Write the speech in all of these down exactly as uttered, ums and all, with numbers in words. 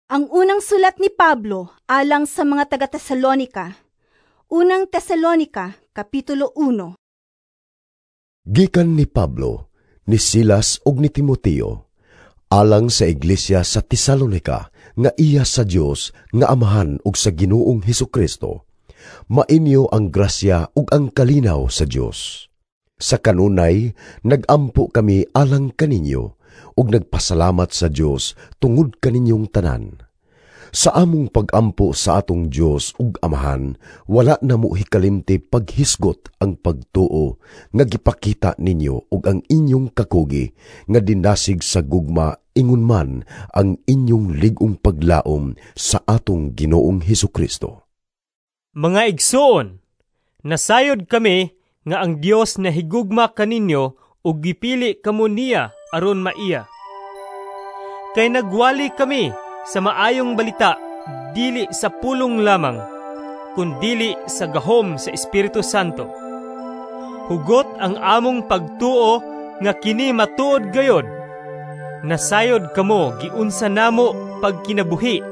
Ang unang sulat ni Pablo alang sa mga taga-Tesalonika. Unang Tesalonika, Kapitulo uno. Gikan ni Pablo, ni Silas ug ni Timoteo, alang sa iglesia sa Tesalonika nga iya sa Dios nga Amahan ug sa Ginoong Hesukristo. Mainyo ang grasya ug ang kalinaw sa Dios. Sa kanunay nagampo kami alang kaninyo ug nagpasalamat sa Dios tungod kaninyong tanan. Sa among pagampo sa atong Dios ug Amahan, wala namo hikalimti paghisgot ang pagtuo nga gipakita ninyo ug ang inyong kakugi nga dinasig sa gugma ingon man ang inyong lig-ong paglaom sa atong Ginoong Hesukristo. Mga igsoon, nasayod kami nga ang Dios nahigugma kaninyo ug gipili kamo niya aron maiya. Kay nagwali kami sa maayong balita dili sa pulong lamang, kundili sa gahom sa Espiritu Santo. Hugot ang among pagtuo nga kini matuod gayod. Nasayod kamo giunsa namo pagkinabuhi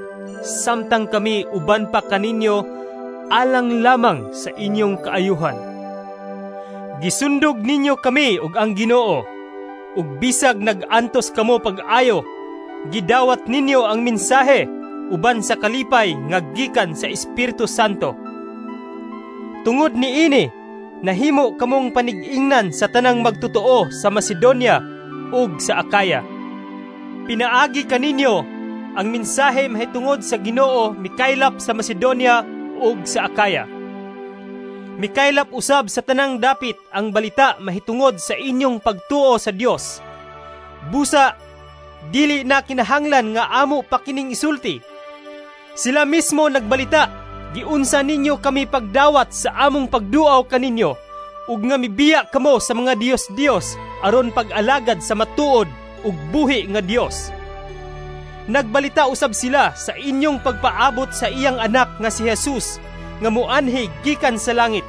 samtang kami uban pa kaninyo alang lamang sa inyong kaayuhan. Gisundog ninyo kami ug ang Ginoo, ug bisag nag-antos kamo pag-ayo, gidawat ninyo ang mensahe uban sa kalipay nga gikan sa Espiritu Santo. Tungod niini, nahimo kamong panig-ingnan sa tanang magtotoo sa Macedonia ug sa Acaya. Pinaagi kaninyo ang mensahe mahitungod sa Ginoo mikaylap sa Macedonia ug sa Acaya. Mikaylap usab sa tanang dapit ang balita mahitungod sa inyong pagtuo sa Dios. Busa dili na kinahanglan nga amo pa kining isulti. Sila mismo nagbalita, giunsa ninyo kami pagdawat sa among pagduaw kaninyo, ug nga mibiya kamo sa mga Dios-Dios aron pag-alagad sa matuod ug buhi nga Dios. Nagbalita usab sila sa inyong pagpaabot sa iyang anak nga si Jesus, nga muanhi gikan sa langit.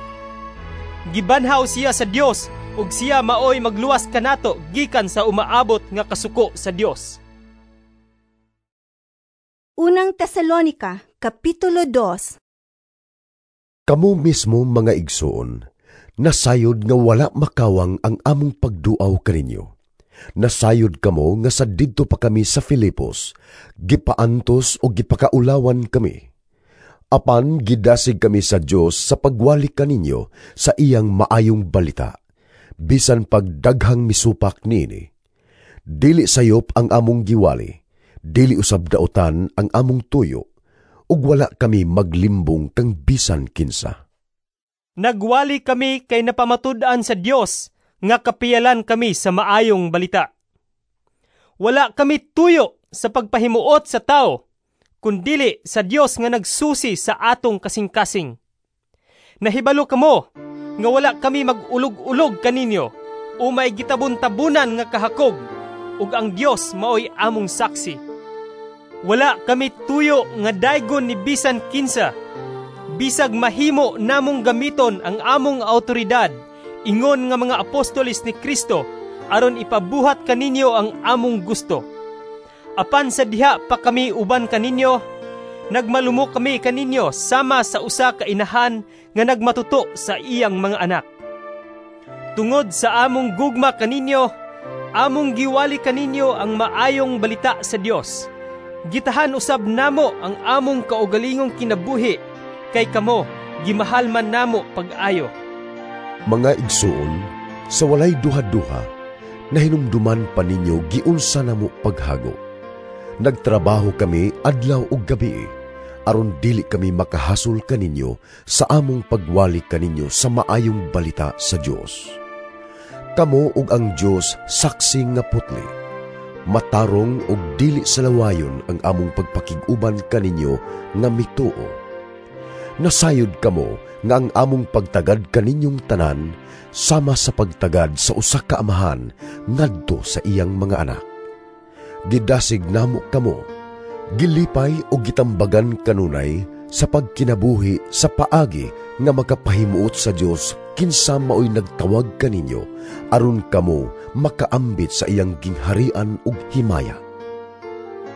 Gibanhaw siya sa Dios ug siya maoy magluwas kanato gikan sa umaabot nga kasuko sa Dios. Unang Tesalonika, Kapitulo dos. Kamo mismo, mga igsoon, nasayod nga wala makawang ang among pagduaw kaninyo. Nasayod kamo nga sa didto pa kami sa Filipos, gipaantos o gipakaulawan kami. Apan gidasig kami sa Dios sa pagwali kaninyo sa iyang maayong balita, bisan pagdaghang misupak niini. Dili sayop ang among giwali, dili usab daotan ang among tuyo, ug wala kami maglimbong kang bisan kinsa. Nagwali kami kay napamatud-an sa Dios nga kapiyalan kami sa maayong balita. Wala kami tuyo sa pagpahimuot sa tao, kundili sa Dios nga nagsusi sa atong kasing-kasing. Nahibalo kamo nga wala kami mag-ulog-ulog kaninyo o may gitabon-tabunan nga kahakog, ug ang Dios maoy among saksi. Wala kami tuyo nga daygon ni bisan kinsa, bisag mahimo namong gamiton ang among autoridad ingon nga mga apostoles ni Kristo aron ipabuhat kaninyo ang among gusto. Apan sa diha pa kami uban kaninyo, nagmalumo kami kaninyo sama sa usa ka inahan nga nagmatuto sa iyang mga anak. Tungod sa among gugma kaninyo, among giwali kaninyo ang maayong balita sa Dios. Gitahan usab namo ang among kaugalingong kinabuhi kay kamo gimahal man namo pag-ayo. Mga igsoon, sa walay duha-duha, nahinumduman pa ninyo giunsa namo paghago. Nagtrabaho kami adlaw ug gabi, aron dili kami makahasol kaninyo sa among pagwali kaninyo sa maayong balita sa Dios. Kamo ug ang Dios saksi nga putli. Matarong ug dili salawayon ang among pagpakig-uban kaninyo nga mituo. Nasayod kamo nga ang among pagtagad kaninyong tanan sama sa pagtagad sa usa ka amahan ngadto sa iyang mga anak. Gidasig namo kamo, gilipay o gitambagan kanunay sa pagkinabuhi sa paagi nga makapahimuot sa Dios kinsa maoy nagtawag kaninyo aron kamo makaambit sa iyang gingharian ug himaya.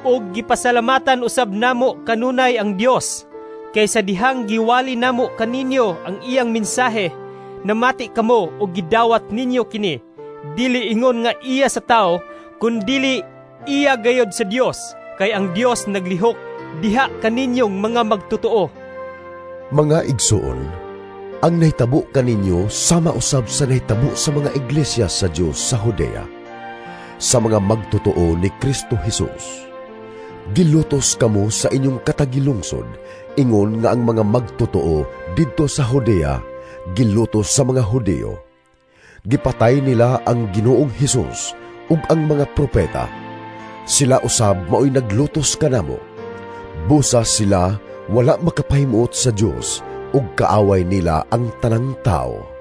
Og gipasalamatan usab namo kanunay ang Dios kay sa dihang giwali namo kaninyo ang iyang mensahe, namati kamo og gidawat ninyo kini, dili ingon nga iya sa tao, kundili iya gayod sa Dios, kay ang Dios naglihok diha kaninyong mga magtotoo. Mga igsuon, ang nahitabo kaninyo sama usab sa nahitabo sa mga iglesia sa Dios sa Judea, sa mga magtotoo ni Kristo Jesus. Gilutos kamo sa inyong katagilungsod, ingon nga ang mga magtotoo didto sa Judea gilutos sa mga Hudeo. Gipatay nila ang Ginoong Hesus ug ang mga propeta. Sila usab maoy naglutos kanamo. Busa sila wala makapahimuot sa Dios ug kaaway nila ang tanang tao.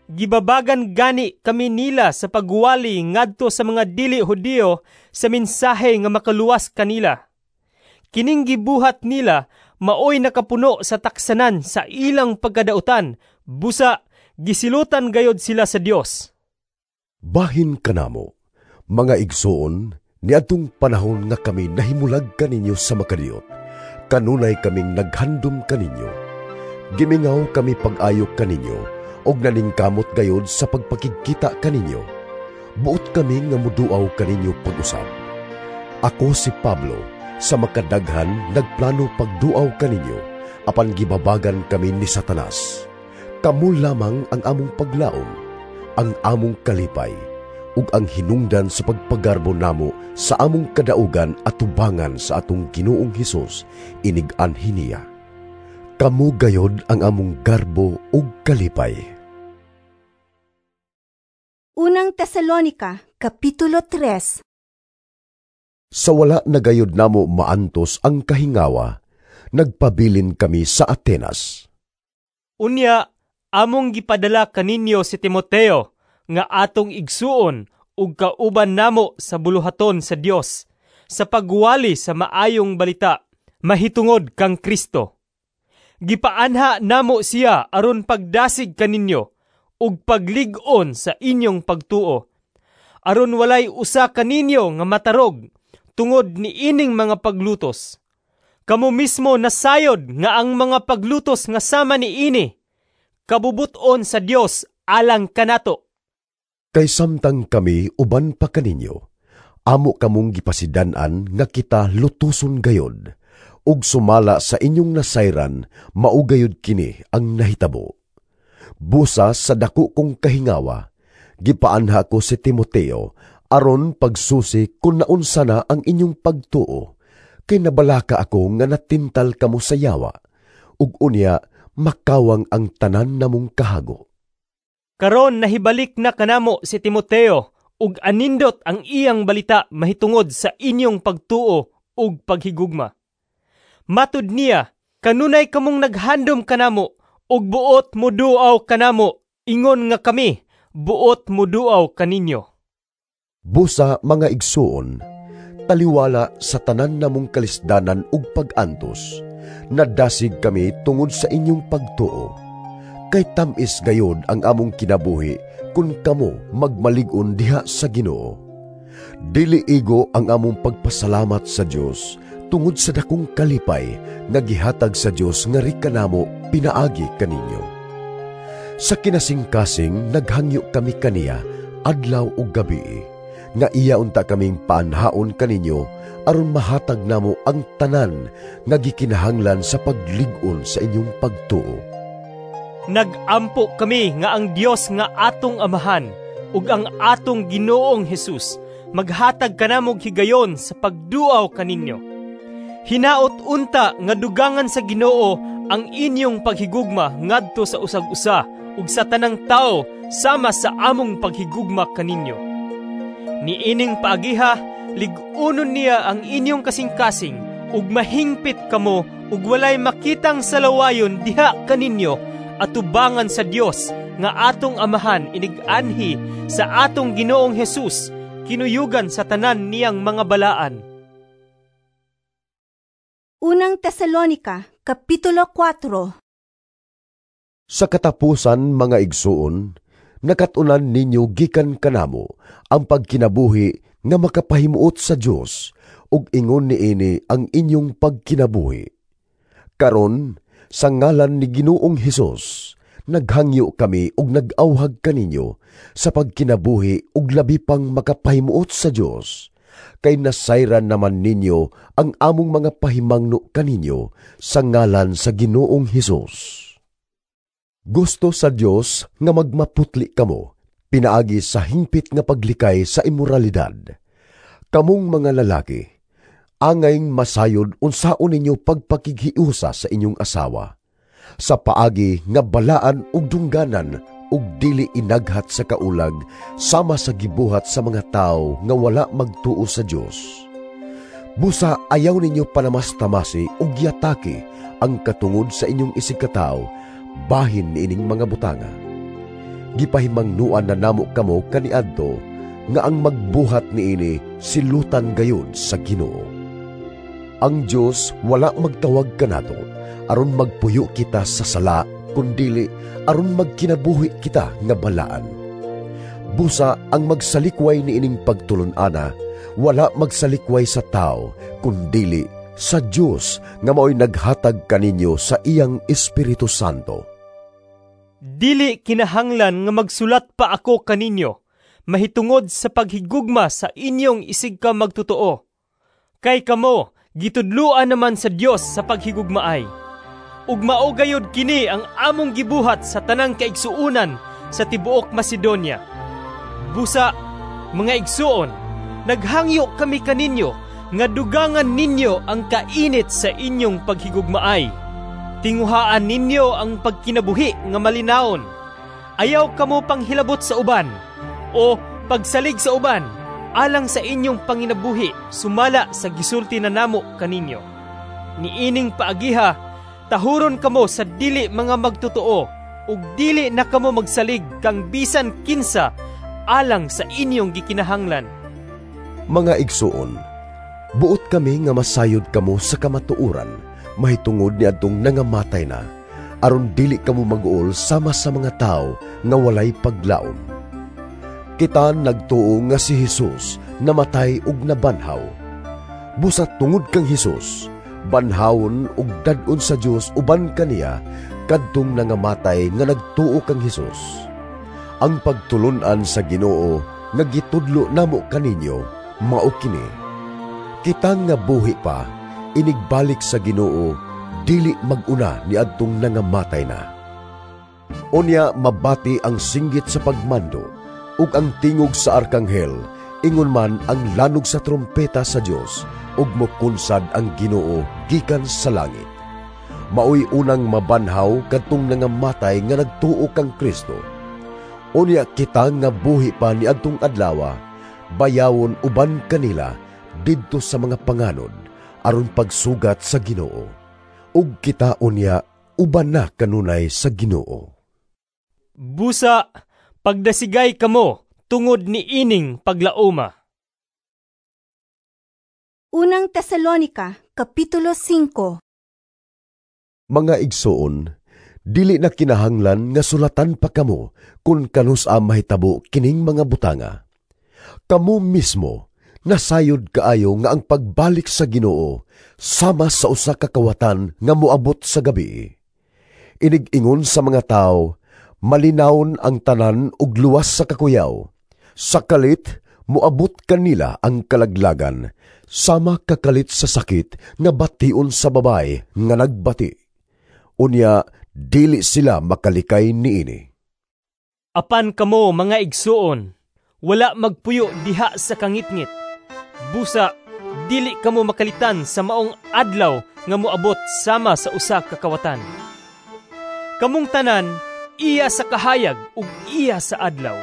Gibabagan gani kami nila sa pagwali ngadto sa mga dili Hudiyo sa mensahe nga makaluwas kanila. Kining gibuhat nila maoy nakapuno sa taksanan sa ilang pagkadautan, busa gisilutan gayod sila sa Dios. Bahin kanamo, mga igsoon, niadtong panahon nga kami nahimulag kaninyo sa makadiyot, kanunay kaming naghandom kaninyo. Gimingaw kami pag-ayo kaninyo, og naningkamot gayod sa pagpakigkita kaninyo. Buot kami nga muduaw kaninyo pag-usab. Ako si Pablo, sa makadaghan nagplano pagduaw kaninyo, apan gibabagan kami ni Satanas. Kamo lamang ang among paglaom, ang among kalipay, ug ang hinungdan sa pagpagarbo namo sa among kadaugan at tubangan sa atong Ginoong Hesus inig-anhi niya. Kamo gayod ang among garbo ug kalipay. Unang Tesalonika, Kapitulo tres. Sa wala na gayod namo maantos ang kahingawa, nagpabilin kami sa Atenas. Unya, among gipadala kaninyo si Timoteo nga atong igsuon ug kauban namo sa buluhaton sa Dios sa pagwali sa maayong balita mahitungod kang Kristo. Gipaanha namo siya aron pagdasig kaninyo ug paglig-on sa inyong pagtuo, aron walay usa kaninyo nga matarog tungod niining mga paglutos. Kamo mismo nasayod nga ang mga paglutos nga sama niini kabubuton sa Dios alang kanato. Kay samtang kami uban pa kaninyo, amo kamong gipasidan-an nga kita lutuson gayod, ug sumala sa inyong nasayran, mao gayod kini ang nahitabo. Busa sa dako kong kahingawa, gipaanha ko si Timoteo aron pagsusi kung naunsa na ang inyong pagtuo, kay nabalaka ako nga natintal kamo sa yawa, ug unya makawang ang tanan namong kahago. Karon nahibalik na kanamo si Timoteo ug anindot ang iyang balita mahitungod sa inyong pagtuo ug paghigugma. Matud niya, kanunay kamong naghandom kanamo ug buot moduaw kanamo, ingon nga kami buot moduaw kaninyo. Busa mga igsuon, taliwala sa tanan namong kalisdanan ug pag-antos, nadasig kami tungod sa inyong pagtuo. Kay tam-is gayod ang among kinabuhi kung kamo magmalig-on diha sa Ginoo. Dili igo ang among pagpasalamat sa Dios tungod sa dakong kalipay nga gihatag sa Dios nga rikanamo pinaagi kaninyo. Sa kinasingkasing naghangyo kami kaniya adlaw ug gabi, nga iya unta kaming paanhaon kaninyo aron mahatag namo ang tanan nga gikinahanglan sa paglig-on sa inyong pagtuo. Nagampo kami nga ang Dios nga atong Amahan ug ang atong Ginoong Hesus maghatag kanamog higayon sa pagduaw kaninyo. Hinaot unta nga dugangan sa Ginoo ang inyong paghigugma ngadto sa usag-usa ug sa tanang tao sama sa among paghigugma kaninyo. Niining paagiha, lig-unon niya ang inyong kasing-kasing ug mahingpit kamo ug walay makitang salawayon diha kaninyo atubangan sa Dios nga atong Amahan inig-anhi sa atong Ginoong Hesus kinuyugan sa tanan niyang mga balaan. Unang Tesalonika, Kapitulo kwatro. Sa katapusan, mga igsuon, nakat-unan ninyo gikan kanamo ang pagkinabuhi nga makapahimuot sa Dios ug ingon niini ang inyong pagkinabuhi. Karon, sa ngalan ni Ginoong Hesus, naghangyo kami ug nag-awhag kaninyo sa pagkinabuhi ug labi pang makapahimuot sa Dios. Kay nasayran naman ninyo ang among mga pahimangno kaninyo sa ngalan sa Ginoong Hesus. Gusto sa Dios nga magmaputli kamo, pinaagi sa hingpit nga paglikay sa imoralidad. Kamong mga lalaki, angayng masayod unsaon ninyo pagpakighiusa sa inyong asawa, sa paagi nga balaan ug dungganan ug dili inaghat sa kaulag sama sa gibuhat sa mga tao nga wala magtuo sa Dios. Busa ayaw ninyo panamastamasi ug yataki ang katungod sa inyong isigkatawo bahin niining mga butanga. Gipahimangnuan na namo kamo kaniadto nga ang magbuhat niini silutan gayud sa Ginoo. Ang Dios wala magtawag kanato aron magpuyo kita sa sala, kundili aron magkinabuhi kita nga balaan. Busa ang magsalikway niining pagtulon-ana, wala magsalikway sa tao, kundili sa Dios nga maoy naghatag kaninyo sa iyang Espiritu Santo. Dili kinahanglan nga magsulat pa ako kaninyo mahitungod sa paghigugma sa inyong isig ka magtotoo. Kay kamo gitudluan naman sa Dios sa paghigugmaay. Ug mao gayud kini ang among gibuhat sa tanang kaigsuonan sa tibuok Macedonia. Busa, mga igsuon, naghangyo kami kaninyo nga dugangan ninyo ang kainit sa inyong paghigugmaay. Tinguhaan ninyo ang pagkinabuhi nga malinawon. Ayaw kamo panghilabot sa uban o pagsalig sa uban alang sa inyong panginabuhi sumala sa gisulti na namo kaninyo. Niining paagiha, tahuron kamo sa dili mga magtotoo ug dili na kamo magsalig kang bisan kinsa alang sa inyong gikinahanglan. Mga igsuon, buot kami nga masayod kamo sa kamatuoran mahitungod niadtong nangamatay na, aron dili kamo mag-uol sama sa mga tao nga walay paglaom. Kita nagtuo nga si Hesus namatay ug nabanhaw. Busa tungod kang Hesus, banhawon ug dad-on sa Dios uban kaniya kadtong nangamatay nga nagtuo kang Hesus. Ang pagtulun-an sa Ginoo nga gitudlo namo kaninyo mao kini. Kita nga buhi pa, inigbalik sa Ginoo, dili mag-una niadtong nangamatay na. Unya mabati ang singgit sa pagmando ug ang tingog sa arkanghel, ingon man ang lanog sa trompeta sa Dios, ug mokunsad ang Ginoo gikan sa langit. Maoy unang mabanhaw kadtong nangamatay nga nagtuo kang Kristo. Unya kita nga buhi pa niadtong adlawa, bayawon uban kanila didto sa mga panganod aron pagsugat sa Ginoo. Ug kita unya uban na kanunay sa Ginoo. Busa, pagdasigay kamo tungod ni ining paglaoma. Unang Tesalonika, Kapitulo singko. Mga igsoon, dili na kinahanglan nga sulatan pa kamo kung kanus-a mahitabo kining mga butanga. Kamo mismo nasayod kaayo nga ang pagbalik sa Ginoo sama sa usa ka kawatan nga moabot sa gabi. Inig-ingon sa mga tao, malinawon ang tanan ug luwas sa kakuyaw. Sa kalit, moabot kanila ang kalaglagan, sama kakalit sa sakit nga bation sa babae nga nagbati. Unya, dili sila makalikay niini. Apan kamo mga igsuon, wala magpuyo diha sa kangitngit. Busa, dili kamo makalitan sa maong adlaw nga moabot sama sa usa ka kawatan. Kamong tanan, iya sa kahayag ug iya sa adlaw.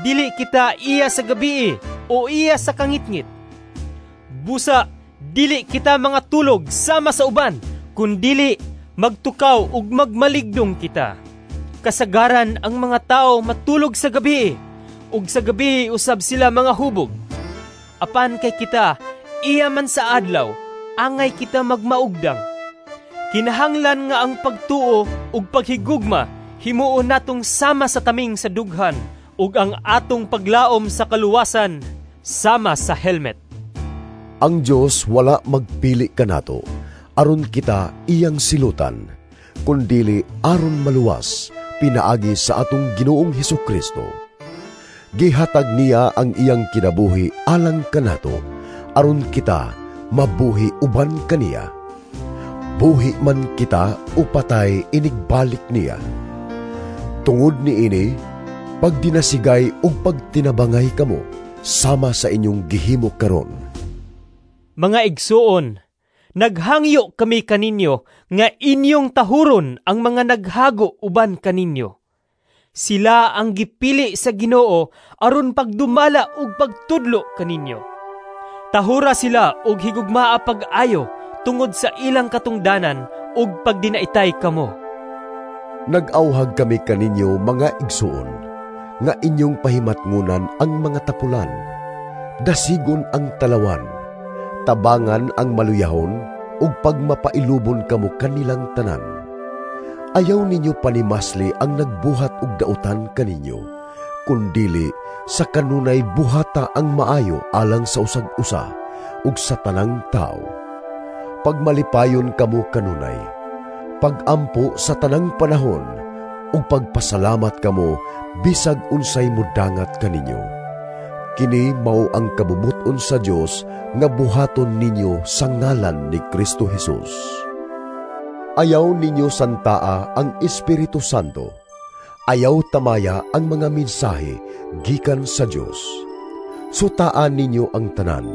Dili kita iya sa gabii o iya sa kangitngit. Busa, dili kita mga tulog sama sa uban, kundili magtukaw ug magmaligdong kita. Kasagaran ang mga tao matulog sa gabi, ug sa gabi usab sila mga hubog. Apan kay kita, iya man sa adlaw, angay kita magmaugdang. Kinahanglan nga ang pagtuo ug paghigugma himuon natong sama sa taming sa dughan ug ang atong paglaom sa kaluwasan sama sa helmet. Ang Dios wala magpili kanato aron kita iyang silutan, kundili aron maluwas pinaagi sa atong Ginoong Hesus Kristo. Gihatag niya ang iyang kinabuhi alang kanato aron kita mabuhi uban kaniya. Buhi man kita o patay, inigbalik niya. Tungod niini, pagdinasigay ug pagtinabangay kamo sama sa inyong gihimo karon. Mga igsuon, naghangyo kami kaninyo nga inyong tahuron ang mga naghago uban kaninyo. Sila ang gipili sa Ginoo aron pagdumala ug pagtudlo kaninyo. Tahura sila og higugmaa pag-ayo tungod sa ilang katungdanan ug pagdinaitay kamo. Nag-awhag kami kaninyo, mga igsuon, nga inyong pahimatngunan ang mga tapulan, dasigon ang talawan, tabangan ang maluyahon, ug pagmapailubon kamo kanilang tanan. Ayaw ninyo panimasli ang nagbuhat og dautan kaninyo, kundili sa kanunay buhata ang maayo alang sa usag-usa ug sa tanang tao. Pagmalipayon kamo kanunay, pagampo sa tanang panahon, ug pagpasalamat kamo bisag unsay mudangat kaninyo. Kini mao ang kabubut-on sa Dios nga buhaton ninyo sa ngalan ni Kristo Jesus. Ayaw ninyo santaa ang Espiritu Santo. Ayaw tamaya ang mga mensahe gikan sa Dios. Sutaan ninyo ang tanan.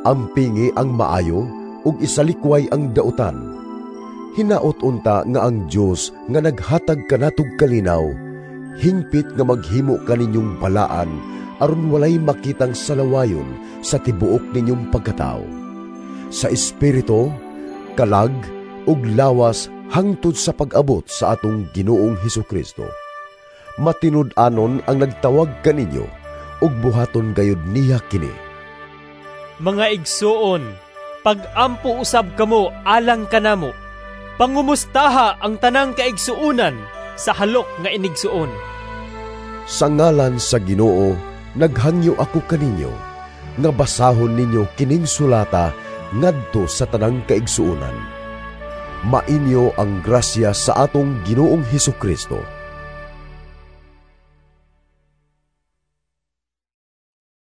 Ampingi ang maayo ug isalikway ang dautan. Hinaot unta nga ang Dios nga naghatag kanatog kalinaw, hingpit nga maghimo kaninyong balaan aron walay makitang salawayon sa tibuok ninyong pagkatao, sa espiritu, kalag, ug lawas hangtod sa pag-abot sa atong Ginoong Hesus Kristo. Matinud-anon ang nagtawag kaninyo ug buhaton gayud niya kini. Mga igsuon, pag-ampo usab kamo alang kanamo. Pangumustaha ang tanang kaigsuonan sa halok nga inigsuon. Sa ngalan sa Ginoo, naghangyo ako kaninyo nga basahon ninyo kining sulata ngadto sa tanang kaigsuonan. Mainyo ang grasya sa atong Ginoong Hesus Kristo.